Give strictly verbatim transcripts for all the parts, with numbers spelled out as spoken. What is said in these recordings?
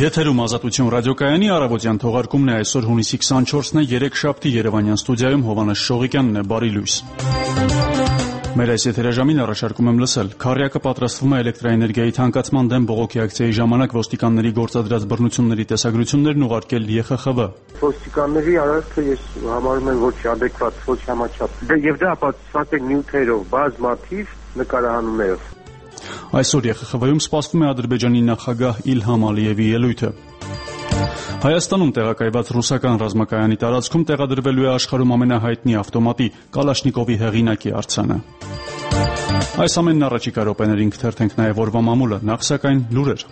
Եթերում Ազատություն ռադիոկայանի առավոտյան թողարկումն է այսօր հունիսի քսանչորսն է, երեքշաբթի Երևանյան ստուդիայում Հովհաննես Շողիկյանն է, բարի լույս։ Մեր այս եթերաժամին առաջարկում եմ լսել. Քառյակը պատրաստվում է էլեկտրաէներգիայի թանկացման դեմ բողոքի ակցիայի ժամանակ ոստիկանների գործադրած բռնությունների տեսագրություններն ուղարկել Ե Խ Խ V։ Ոստիկանների արարքը ես համարում եմ ոչ adekvat, ոչ համաչափ։ Եվ դա ապացուցված է նյութերով, բազմաթիվ նկարահանումներով։ Այսօր Ե Խ Խ V-ում սպասվում է Ադրբեջանի նախագահ Իլհամ Ալիևի ելույթը։ Հայաստանում տեղակայված ռուսական ռազմակայանի տարածքում տեղադրվելու է աշխարհում ամենահայտնի ավտոմատի Կալաշնիկովի հեղինակի արձանը։ Այս ամենն առաջիկա րոպեներին կթերթենք նաև օրվա մամուլը, նախ սակայն լուրեր։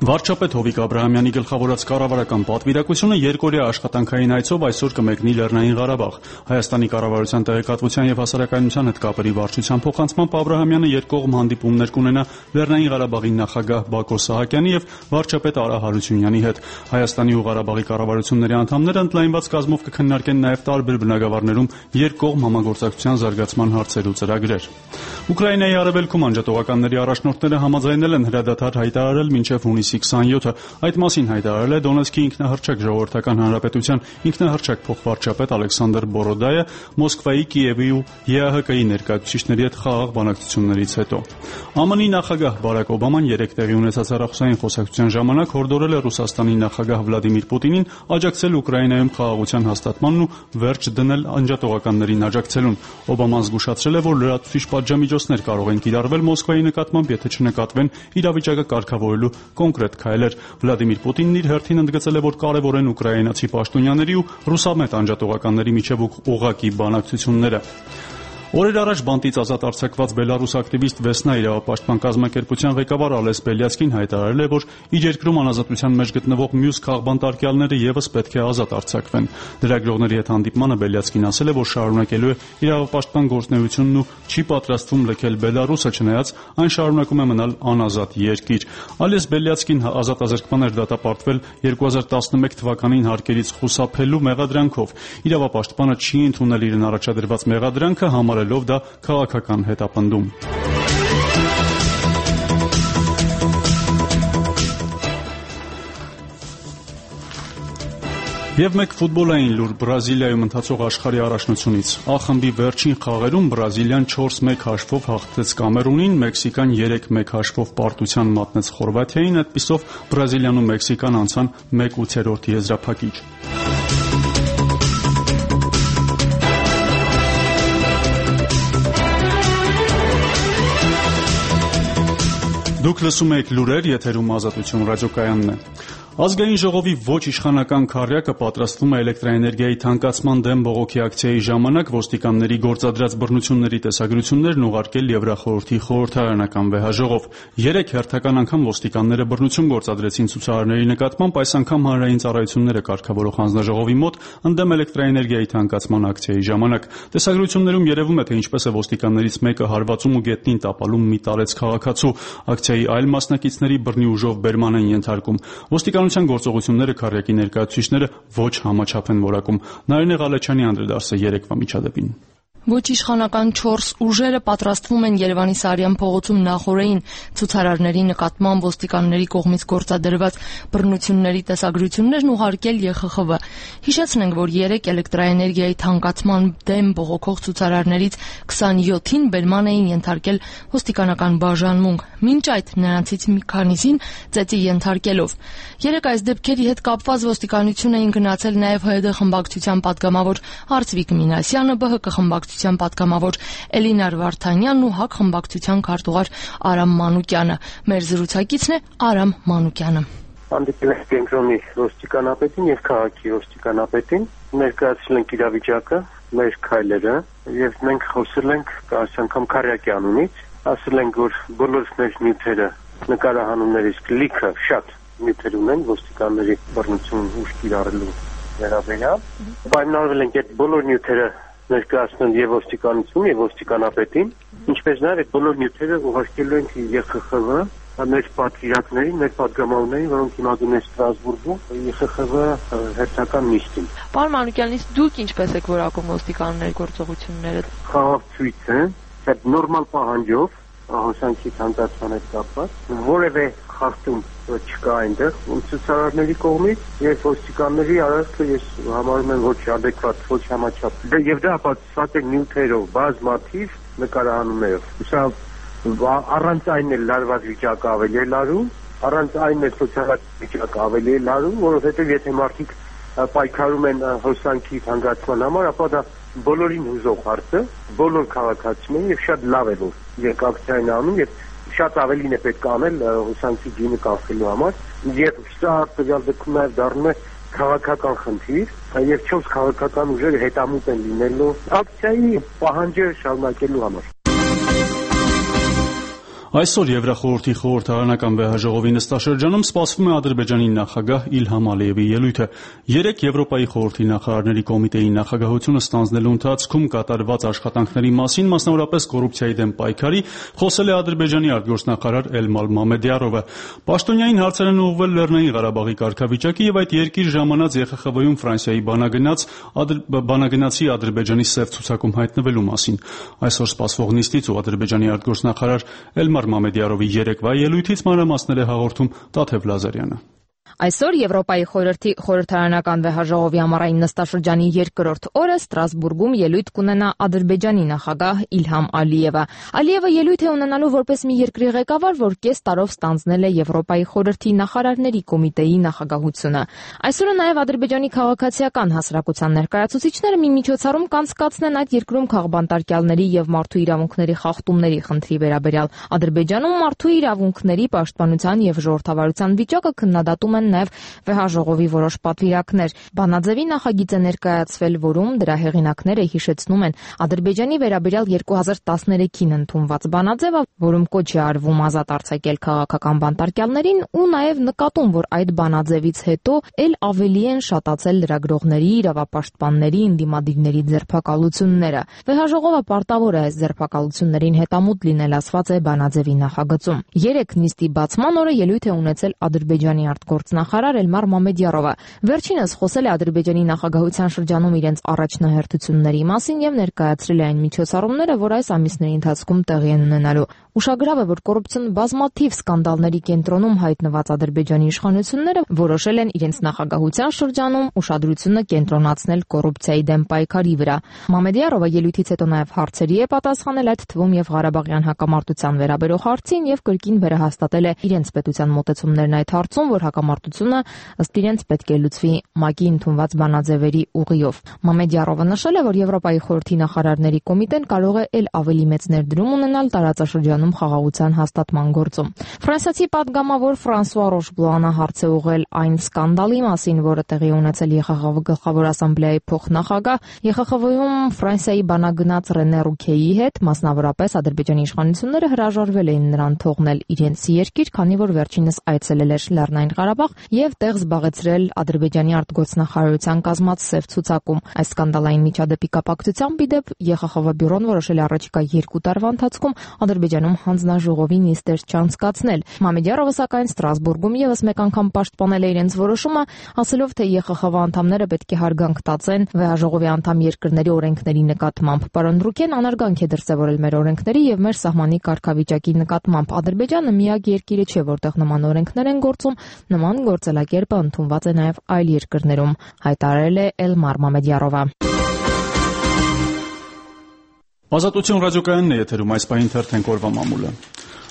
Վարչապետ Հովիկ Աբրահամյանի գլխավորած կառավարական պատվիրակությունը երկօրյա աշխատանքային այցով այսօր կմեկնի Լեռնային Ղարաբաղ։ Հայաստանի կառավարության տեղեկատվության եւ հասարակայնության հետ կապերի վարչության փոխանցմամբ Աբրահամյանը երկկողմ հանդիպումներ կունենա Լեռնային Ղարաբաղի նախագահ Բակո Սահակյանի եւ վարչապետ Արա Հարությունյանի հետ։ Հայաստանի ու Ղարաբաղի կառավարությունների անդամները ընդլայնված կազմով կքննարկեն նաեւ տարբեր բնակավարներում երկկողմ համագործակցության զարգացման հարցեր ու ծրագրեր։ Ուկրաինայի արևելքում անջատողականների առաջնորդները համաձայնել են հրադադար հայտարարել մինչև հունիսի քսանյոթը։ Այդ մասին հայտարարել է Դոնեցկի ինքնահռչակ ժողովրդական հանրապետության ինքնահռչակ փոխվարչապետ Ալեքսանդր Բորոդայը Մոսկվայի, Կիևի ու Ե Ա Հ Կ-ի ներկայացուցիչների հետ խաղաղ բանակցություններից հետո։ Ա Մ Ն-ի նախագահ Բարակ Օբաման երեկ տեղի ունեցած հեռախոսային խոսակցության ժամանակ հորդորել է Ռուսաստանի նախագահ Վլադիմիր Պուտինին աջակցել Ուկրաինայում խաղաղության հաստատմանն ու վերջ դնել անջատողականներին աջակցելուն։ Օբաման զգուշացրել է, որ լրացուցիչ պատժամիջոցներ կարող են կիրառվել Մոսկվայի նկատմամբ, եթե չնկատվեն իրավիճակը կարգավորելու կոնկրետ քայլեր։ Վլադիմիր Պուտինն իր հերթին ընդգծել է, որ կարևոր են ուկրաինացի պաշտոնյաների ու ռուսամետ անջատողականների միջև ուղղակի բանակցությունները։ Օրեր առաջ բանտից ազատ արձակված բելարուս ակտիվիստ Վեսնա իրավապաշտպան կազմակերպության ղեկավար Ալես Բելյացկին հայտարարել է, որ իր երկրում անազատության մեջ գտնվող մյուս քաղբանտարկյալները եւս պետք է ազատ արձակվեն։ Լրագրողների հետ հանդիպմանը Բելյացկին ասել է, որ շարունակելու է իրավապաշտպան գործունեությունն ու չի պատրաստվում լքել Բելարուսը, չնայած այն շարունակում է մնալ անազատ երկիր։ Ալես Բելյացկին ազատազրկման էր դատապարտվել երկու հազար տասնմեկ թվականին հարկերից խուսափելու մեղադրանքով։ Իրավապաշտպանը չի ընդունել իրեն առաջադրված մեղադրանքը, համարելով դա քաղաքական հետապնդում։ Եվ մեկ ֆուտբոլային լուր Բրազիլիայում ընթացող աշխարհի առաջնությունից։ Ա խմբի վերջին խաղերում Բրազիլիան չորս մեկ հաշվով հաղթեց Կամերունին, Մեքսիկան երեք մեկ հաշվով պարտության մատնեց Խորվաթիային, այդպիսով Բրազիլիան ու Մեքսիկան անցան մեկ ութերորդ եզրափակիչ։ Դուք լսում եք լուրեր, եթերում Ազատություն ռադիոկայանն է։ Ազգային ժողովի ոչ իշխանական քառյակը պատրաստվում է էլեկտրաէներգիայի թանկացման դեմ բողոքի ակցիայի ժամանակ ոստիկանների գործադրած բռնությունների տեսագրություններն ուղարկել Եվրախորհրդի խորհրդարանական վեհաժողով։ Երեք հերթական անգամ ոստիկանները բռնություն գործադրեցին ցուցարարների նկատմամբ, այս անգամ հանրային ծառայությունները կարգավորող հանձնաժողովի մոտ ընդդեմ էլեկտրաէներգիայի թանկացման ակցիայի ժամանակ։ Տեսագրություններում երևում է, թե ինչպես է ոստիկաններից մեկը հարվածում ու գետնին տապալում մի տարեց քաղաքացու։ Ակցիայի այլ մասնակիցների բռնի ուժով բերման են ենթարկում։ Ոստիկանության գործողությունները քառյակի ներկայացուցիչները ոչ համաչափ են որակում։ Նարինե Ղալեչյանի անդրադարձը երեկվա միջադեպին։ Ոչ իշխանական չորս ուժերը պատրաստվում են Երևանի Սարյան փողոցում նախօրեին ցուցարարների նկատմամբ ոստիկանների կողմից գործադրված բռնությունների տեսագրություններն ուղարկել Ե Խ Խ V։ Հիշեցնենք, որ երեք էլեկտրաէներգիայի թանկացման դեմ բողոքող ցուցարարներից քսանյոթին բերման էին ենթարկել ոստիկանական բաժանմունք, մինչ այդ նրանցից մի քանիսին ծեծի ենթարկելով։ Երեք այս դեպքերի հետ կապված ոստիկանություն էին գնացել նաև Հ Դ խմբակցության պատգամավոր Արծվիկ Մինասյանը, Բ Հ Կ խմբակցության պատգամավոր Էլինար Վարդանյանն ու Հ Ակ խմբակցության քարտուղար Արամ Մանուկյանը։ Մեր զրուցակիցն է Արամ Մանուկյանը։ Հանդիպել ենք կենտրոնի ոստիկանապետին եւ քաղաքի ոստիկանապետին, ներկայացրել ենք իրավիճակը, մեր քայլերը եւ մենք խոսել ենք այս անգամ քառյակի անունից, ասել ենք, որ բոլոր մեր նյութերը նկարահանումներից լիքը շատ նյութեր ունեն ոստիկանների բռնություն ուժ կիրառելու վերաբերյալ։ Պայմանավորվել ենք այդ բոլոր նյութերը ներկայացնել եւ ոստիկանություն եւ ոստիկանապետին, ինչպես նաեւ այդ բոլոր նյութերը ուղարկելու ենք Ե Խ Խ V մեր պատվիրակներին, մեր պատգամավորներին, որոնք հիմա գնում են Ստրասբուրգում Ե Խ Խ V հերթական նիստին։ Պարոն Մանուկյան, իսկ դուք ինչպես եք որակում ոստիկանների գործողությունները։ Խաղաղ ցույց է, այդ նորմալ պահանջով հոսանքի ցանկացման հետ կապված որևէ խախտում չկա այնտեղ ցուցարարների կողմից եւ ոստիկանների արարքը ես համարում եմ ոչ adekvat, ոչ համաչափ։ Եվ դա ապացուցված է նյութերով, բազմաթիվ նկարահանումներով։ Սա առանց այն էլ լարված վիճակը ավելի է լարում, առանց այն էլ սոցիալական վիճակը ավելի է լարում, որովհետեւ եթե մարդիկ պայքարում են հոսանքի ցանկացման համար, ապա դա բոլորին հուզող հարց է, բոլոր քաղաքացիներին եւ շատ լավ է որ երկակցային անում եւ շատ ավելին է պետք անել հոսանքի գինը կանխելու համար եւ սա տվյալ դեպքում նաեւ դառնում է քաղաքական խնդիր եւ չորս քաղաքական ուժերը հետամուտ են լինելու ակցիայի պահանջը շարունակելու համար։ Այսօր Եվրախորհրդի խորհրդարանական վեհաժողովի նստաշրջանում սպասվում է Ադրբեջանի նախագահ Իլհամ Ալիևի ելույթը։ Երեք Եվրոպայի խորհրդի նախարարների կոմիտեի նախագահությունը ստանձնելու ընթացքում կատարված աշխատանքների մասին, մասնավորապես կոռուպցիայի դեմ պայքարի, խոսել է Ադրբեջանի արտգործնախարար Էլմար Մամեդյարովը։ Պաշտոնյային հարցեր են ուղղվել Լեռնային Ղարաբաղի կարգավիճակի եւ այդ երկիր ժամանած Է Խ Խ V-ում Ֆրանսիայի բանագնաց բանագնացի Ադրբեջանի սև ցուցակում հայտնվելու մասին։ Այսօր սպասվող նիստից ու Ադրբեջանի արտգործնախարար Էլմար Մամեդյարովի երեկվա ելույթից մանրամասներ է հաղորդում Տաթև Լազարյանը։ Այսօր Եվրոպայի խորհրդի խորհրդարանական վեհաժողովի ամառային նստաշրջանի երկրորդ օրը Ստրասբուրգում ելույթ կունենա Ադրբեջանի նախագահ Իլհամ Ալիևը։ Ալիևը ելույթ է ունենալու որպես մի երկրի ղեկավար, որ կես տարով ստանձնել է Եվրոպայի խորհրդի նախարարների կոմիտեի նախագահությունը։ Այսօրը նաև Ադրբեջանի քաղաքացիական հասարակության ներկայացուցիչները մի միջոցառում կանցկացնեն այդ երկրում քաղբանտարկյալների եւ մարդու իրավունքների խախտումների խնդրի վերաբերյալ։ Ադրբեջանում մարդու իրավունքների պաշտպանության եւ ժողովրդավարության վիճակը քննադատում են նաև վեհաժողովի որոշ պատվիրակներ։ Բանաձևի նախագիծ է ներկայացվել, որում դրա հեղինակները հիշեցնում են Ադրբեջանի վերաբերյալ երկու հազար տասներեքին ընդունված բանաձևը, որում կոչ է արվում ազատ արձակել քաղաքական բանտարկյալներին ու նաև նկատում, որ այդ բանաձևից հետո ել ավելի են շատացել լրագրողների, իրավապաշտպանների, ընդդիմադիրների ձերբակալությունները։ Վեհաժողովը պարտավոր է այս ձերբակալություններին հետամուտ լինել, ասված է բանաձևի նախագծում։ Երեք նիստի բացման օրը ելույթ է ունեցել Ադրբեջանի արտգործնախարար Էլմար Մամեդյարովը։ Վերջինս խոսել է Ադրբեջանի նախագահության շրջանում իրենց առաջնահերթությունների մասին եւ ներկայացրել է այն միջոցառումները, որ այս ամիսների ընթացքում տեղի են ունենալու։ Ուշագրավ է, որ կոռուպցիոն բազմաթիվ սկանդալների կենտրոնում հայտնված Ադրբեջանի իշխանությունները որոշել են իրենց նախագահության շրջանում ուշադրությունը կենտրոնացնել կոռուպցիայի դեմ պայքարի վրա։ Մամեդյարովը ելույթից հետո նաև հարցերի է պատասխանել, այդ թվում եւ Ղարաբաղյան հակամարտության վերաբերող հարցին եւ կրկին վերահաստատել է իրենց պետության մոտեցումներն այդ հարցում, որ հակամարտությունը ըստ իրենց պետք է լուծվի ՄԱԿ-ի ընդունված բանաձևերի ուղիով։ Մամեդյարովը նշել է, որ Եվրոպայի խորհրդի նախարարների կոմիտեն կարող է ել ավելի մեծ ներդրում ունենալ տարածաշրջանում խաղաղության հաստատման գործում։ Ֆրանսիացի պատգամավոր Ֆրանսուଆ Ռոշբլանը հարց է ուղղել այն սկանդալի մասին, որը տեղի ունեցել Է Խ Խ V գլխավոր ասամբլեայի փոխնախագահ Է Խ Խ V-ում Ֆրանսիայի բանագնաց Ռենե Ռուքեի հետ, մասնավորապես Ադրբեջանի իշխանությունները հրաժարվել էին նրան թողնել իրենց երկիր, քանի որ վերջինս այցելել էր Լեռնային Ղարաբաղ եւ տեղ զբաղեցրել Ադրբեջանի արտգործնախարարության կազմած սև ցուցակում։ Այս սկանդալային միջադեպի կապակցությամբ իդեպ Է Խ Խ V բյուրոն որոշել է առաջիկա երկու տարվա ընթացքում Ադրբեջանում հանձնաժողովի նիստեր չանցկացնել։ Մամեդյարովը սակայն Ստրասբուրգում եւս մեկ անգամ պաշտպանել է իրենց որոշումը, ասելով, թե Է Խ Խ V անդամները պետք է հարգանք տածեն վեհաժողովի անդամ երկրների օրենքների նկատմամբ։ Պարոն Ռուքեն անարգանք է դրսևորել մեր օրենքների եւ մեր սահմանի կարգավիճակի նկատմամբ։ Ադրբեջանը միակ երկիրը չէ, որտեղ նման օրենքներ են գործում, նման գործելակերպը ընդունված է նաև այլ երկրներում, հայտարարել է Էլմար Մամեդյարովը։ Ազատություն ռադիոկայանն է եթերում, այս պահին թերթենք օրվա մամուլը։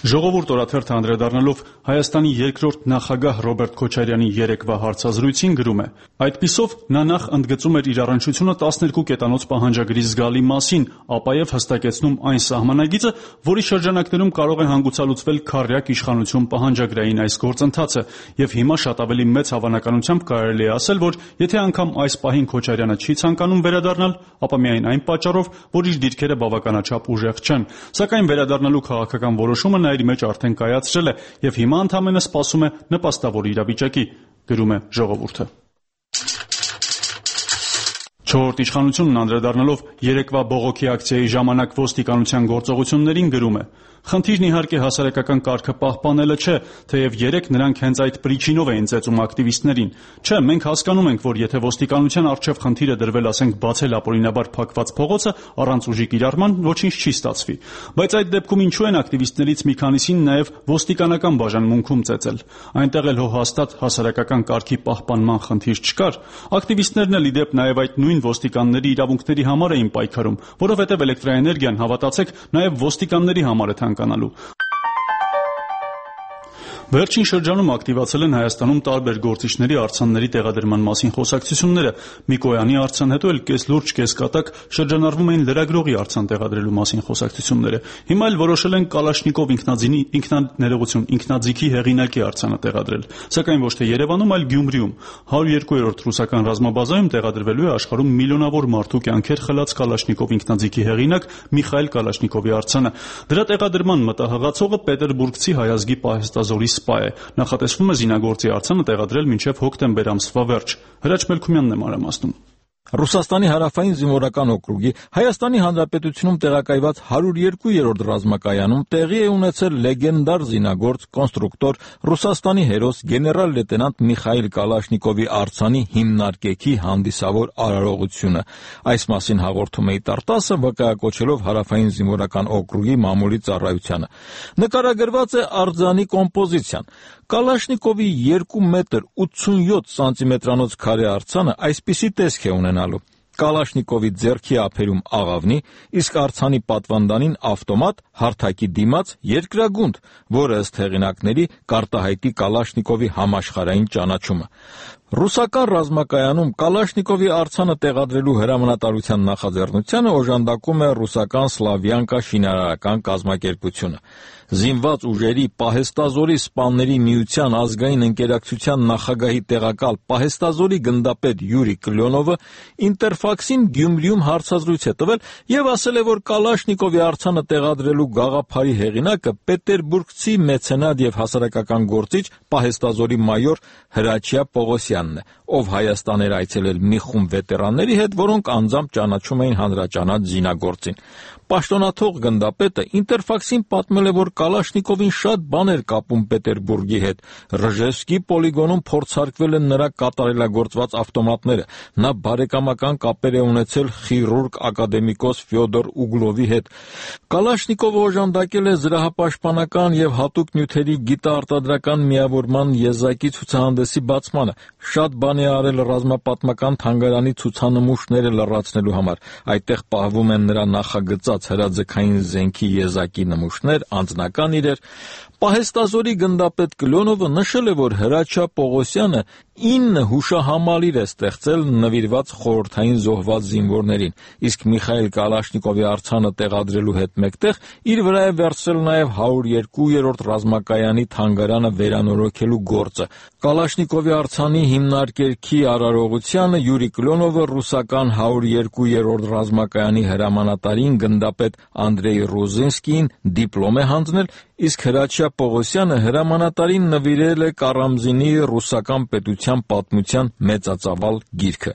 Ժողովուրդ օրաթերթը անդրադառնալով Հայաստանի երկրորդ նախագահ Ռոբերտ Քոչարյանի երեկվա հարցազրույցին գրում է. Այդպիսով նա նախ ընդգծում էր իր առնչությունը տասներկու կետանոց պահանջագրի զգալի մասին, ապա եւ հստակեցնում այն սահմանագիծը, որի շրջանակներում կարող է հանգուցալուծվել քառյակ իշխանություն պահանջագրային այս գործընթացը, եւ հիմա շատ ավելի մեծ հավանականությամբ կարելի է ասել, որ եթե անգամ այս պահին Քոչարյանը չի ցանկանում վերադառնալ, ապա միայն այն պատճառով, որ իր դիրքերը բավականաչափ ուժեղ չեն, սակայն վերադառնալու քաղաքական որոշումը իր մեջ արդեն կայացրել է եւ հիմա ընդամենը սպասում է նպաստավոր իրավիճակի, գրում է Ժողովուրդը։ Չորրորդ իշխանությունն անդրադառնալով երեկվա բողոքի ակցիայի ժամանակ ոստիկանության գործողություններին գրում է. Խնդիրն իհարկե հասարակական կարգը պահպանելը չէ, թեև երեք նրանք հենց այդ պրիչինով էին ծեծում ակտիվիստներին։ Չէ, մենք հասկանում ենք, որ եթե ոստիկանության առջև խնդիրը դրվել, ասենք, բացել ապօրինաբար փակված փողոցը առանց ուժի կիրառման, ոչինչ չի ստացվի։ Բայց այդ դեպքում ինչու են ակտիվիստներից մի քանիսին նաև ոստիկանական բաժանմունքում ծեծել։ Այնտեղ էլ հո հաստատ հասարակական կարգի պահպանման խնդիր չկար։ Ակտիվիստներն էլ ի դեպ նաև այդ նույն ոստիկանների իրավունքների համար էին պայքարում, որովհետև էլեկտրաէներգիան, հավատացեք, նաև ոստիկանների համար է թանկանալու։ Վերջին շրջանում ակտիվացել են Հայաստանում տարբեր գործիչների արձանների տեղադրման մասին խոսակցությունները։ Միկոյանի արձան, հետո էլ կես լուրջ, կես կատակ շրջանառվում էին լրագրողի արձան տեղադրելու մասին խոսակցությունները։ Հիմա էլ որոշել են Կալաշնիկով ինքնաձինի ինքնաներողություն ինքնաձիգի հեղինակի արձանը տեղադրել, սակայն ոչ թե Երևանում, այլ Գյումրիում։ հարյուր երկու-րդ ռուսական ռազմաբազայում տեղադրվելու է աշխարհում միլիոնավոր մարդու կյանքեր խլած Կալաշնիկով ինքնաձիգի հեղինակ Միխայել Կալաշնիկովի արձանը։ Դրա տեղադրման մտահղացողը պետերբուրգցի հայազգի պահեստազորի սպա է։ Նախատեսվում է զինագործի արձանը տեղադրել մինչև հոկտեմբեր ամսվա վերջ։ Հրաչ Մելքումյանն է մանրամասնում։ Ռուսաստանի հարավային զինվորական օկրուգի Հայաստանի Հանրապետությունում տեղակայված հարյուր երկու-րդ ռազմակայանում տեղի է ունեցել լեգենդար զինագործ, կոնստրուկտոր, Ռուսաստանի հերոս գեներալ լեյտենանտ Միխայել Կալաշնիկովի արձանի հիմնարկեքի հանդիսավոր արարողությունը։ Այս մասին հաղորդում է Տարտասը, վկայակոչելով հարավային զինվորական օկրուգի մամուլի ծառայությանը։ Նկարագրված է արձանի կոմպոզիցիան։ Կալաշնիկովի երկու մետր ութսունյոթ սանտիմետրանոց քարե արձանը այսպիսի տեսք է ունենալու. Կալաշնիկովի ձեռքի ափերում աղավնի, իսկ արձանի պատվանդանին ավտոմատ, հարթակի դիմաց երկրագունդ, որը ըստ հեղինակների կարտահայտի Կալաշնիկովի համաշխարհային ճանաչումը։ Ռուսական ռազմակայանում Կալաշնիկովի արձանը տեղադրելու հրամանատարության նախաձեռնությանը օժանդակում է ռուսական Սլավյանկա շինարարական կազմակերպությունը։ Զինված ուժերի պահեստազորի սպաների միության ազգային ընկերակցության նախագահի տեղակալ պահեստազորի գնդապետ Յուրի Կլյոնովը Ինտերֆաքսին Գյումրիում հարցազրույց է տվել եւ ասել է, որ Կալաշնիկովի արձանը տեղադրելու գաղափարի հեղինակը պետերբուրգցի մեցենատ եւ հասարակական գործիչ պահեստազորի մայոր Հրաչյա Պողոսյանն է, ով Հայաստան էր այցելել մի խումբ վետերանների հետ, որոնք անձամբ ճանաչում էին հանրաճանաչ զինագործին։ Պաշտոնաթող գնդապետը Ինտերֆաքսին պատմել է, որ Կալաշնիկովին շատ բան էր կապում Պետերբուրգի հետ։ Ռժևսկի պոլիգոնում փորձարկվել են նրա կատարելագործված ավտոմատները։ Նա բարեկամական կապեր է ունեցել խիրուրգ ակադեմիկոս Ֆյոդոր Ուգլովի հետ։ Կալաշնիկովը օժանդակել է զրահապաշտպանական եւ հատուկ նյութերի գիտաարտադրական միավորման եզակի ցուցահանդեսի բացմանը։ Շատ բան է արել ռազմապատմական թանգարանի ցուցանմուշները լրացնելու համար։ Այդտեղ պահվում են նրա նախագծած հրաձգային զենքի եզակի նմուշներ, անձնական իրեր։ Պահեստազորի գնդապետ Կլյոնովը նշել է, որ Հրաչյա Պողոսյանը ինը հուշահամալիր է ստեղծել նվիրված խորհրդային զոհված զինվորներին, իսկ Միխայել Կալաշնիկովի արձանը տեղադրելու հետ մեկտեղ իր վրա է վերցրել նաև հարյուր երկու-րդ ռազմակայանի թանգարանը վերանորոգելու գործը։ Կալաշնիկովի արձանի հիմնարկերքի արարողությանը Յուրի Կլյոնովը ռուսական հարյուր երկու-րդ ռազմակայանի հրամանատարին գնդապետ Անդրեյ Ռոզենսկիին դիպլոմ է հանձնել, իսկ Հրաչյա Պողոսյանը հրամանատարին նվիրել է Կարամզինի ռուսական պետության պատմության մեծածավալ գիրքը։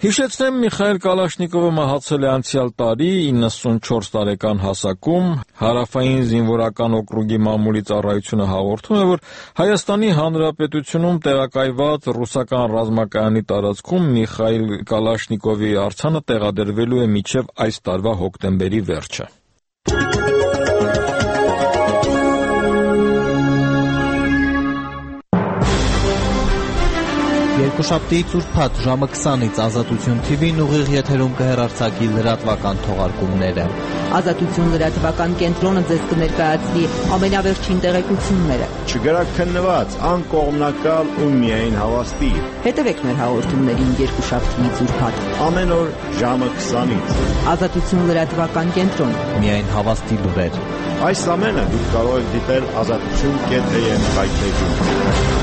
Հիշեցնեմ, Միխայել Կալաշնիկովը մահացել է անցյալ տարի իննսունչորս տարեկան հասակում։ Հարավային զինվորական օկրուգի մամուլի ծառայությունը հաղորդում է, որ Հայաստանի Հանրապետությունում տեղակայված ռուսական ռազմակայանի տարածքում Միխայել Կալաշնիկովի արձանը տեղադրվելու է մինչև այս տարվա հոկտեմբերի վերջը։ Երկուշաբթի ծուրփաթ ժամը քսանից Ազատություն Թի Վին ուղիղ եթերում կհեռարձակի լրատվական թողարկումները։ Ազատություն լրատվական կենտրոնը ձեզ կներկայացնի ամենավերջին տեղեկությունները։ Չգրաքննված, անկողմնակալ ու միայն հավաստի։ Հետևեք մեր հաղորդումներին երկուշաբթի ծուրփաթ ամեն օր ժամը քսանից։ Ազատություն լրատվական կենտրոն։ Միայն հավաստի լուրեր։ Այս ամենը դուք կարող եք դիտել ազատություն կետ էյ էմ վայբերում։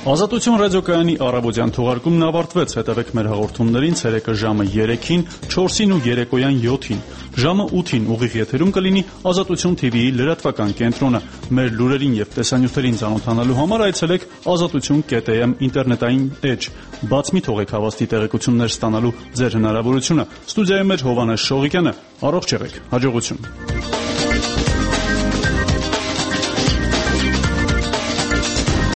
Ազատություն ռադիոկայանի առավոտյան թողարկումն ավարտվեց։ Հետևեք մեր հաղորդումներին ցերեկը ժամը երեքին, չորսին ու երեկոյան յոթին։ Ժամը ութին ուղիղ եթերում կլինի Ազատություն թի վիի լրատվական կենտրոնը։ Մեր լուրերին եւ տեսանյութերին ծանոթանալու համար այցելեք ազատություն կետ է էմ ինտերնետային էջ։ Բաց մի թողեք հավաստի տեղեկություններ ստանալու ձեր հնարավորությունը։ Ստուդիայում էր Հովհաննես Շողիկյանը։ Առողջ եղեք։ Հաջողություն։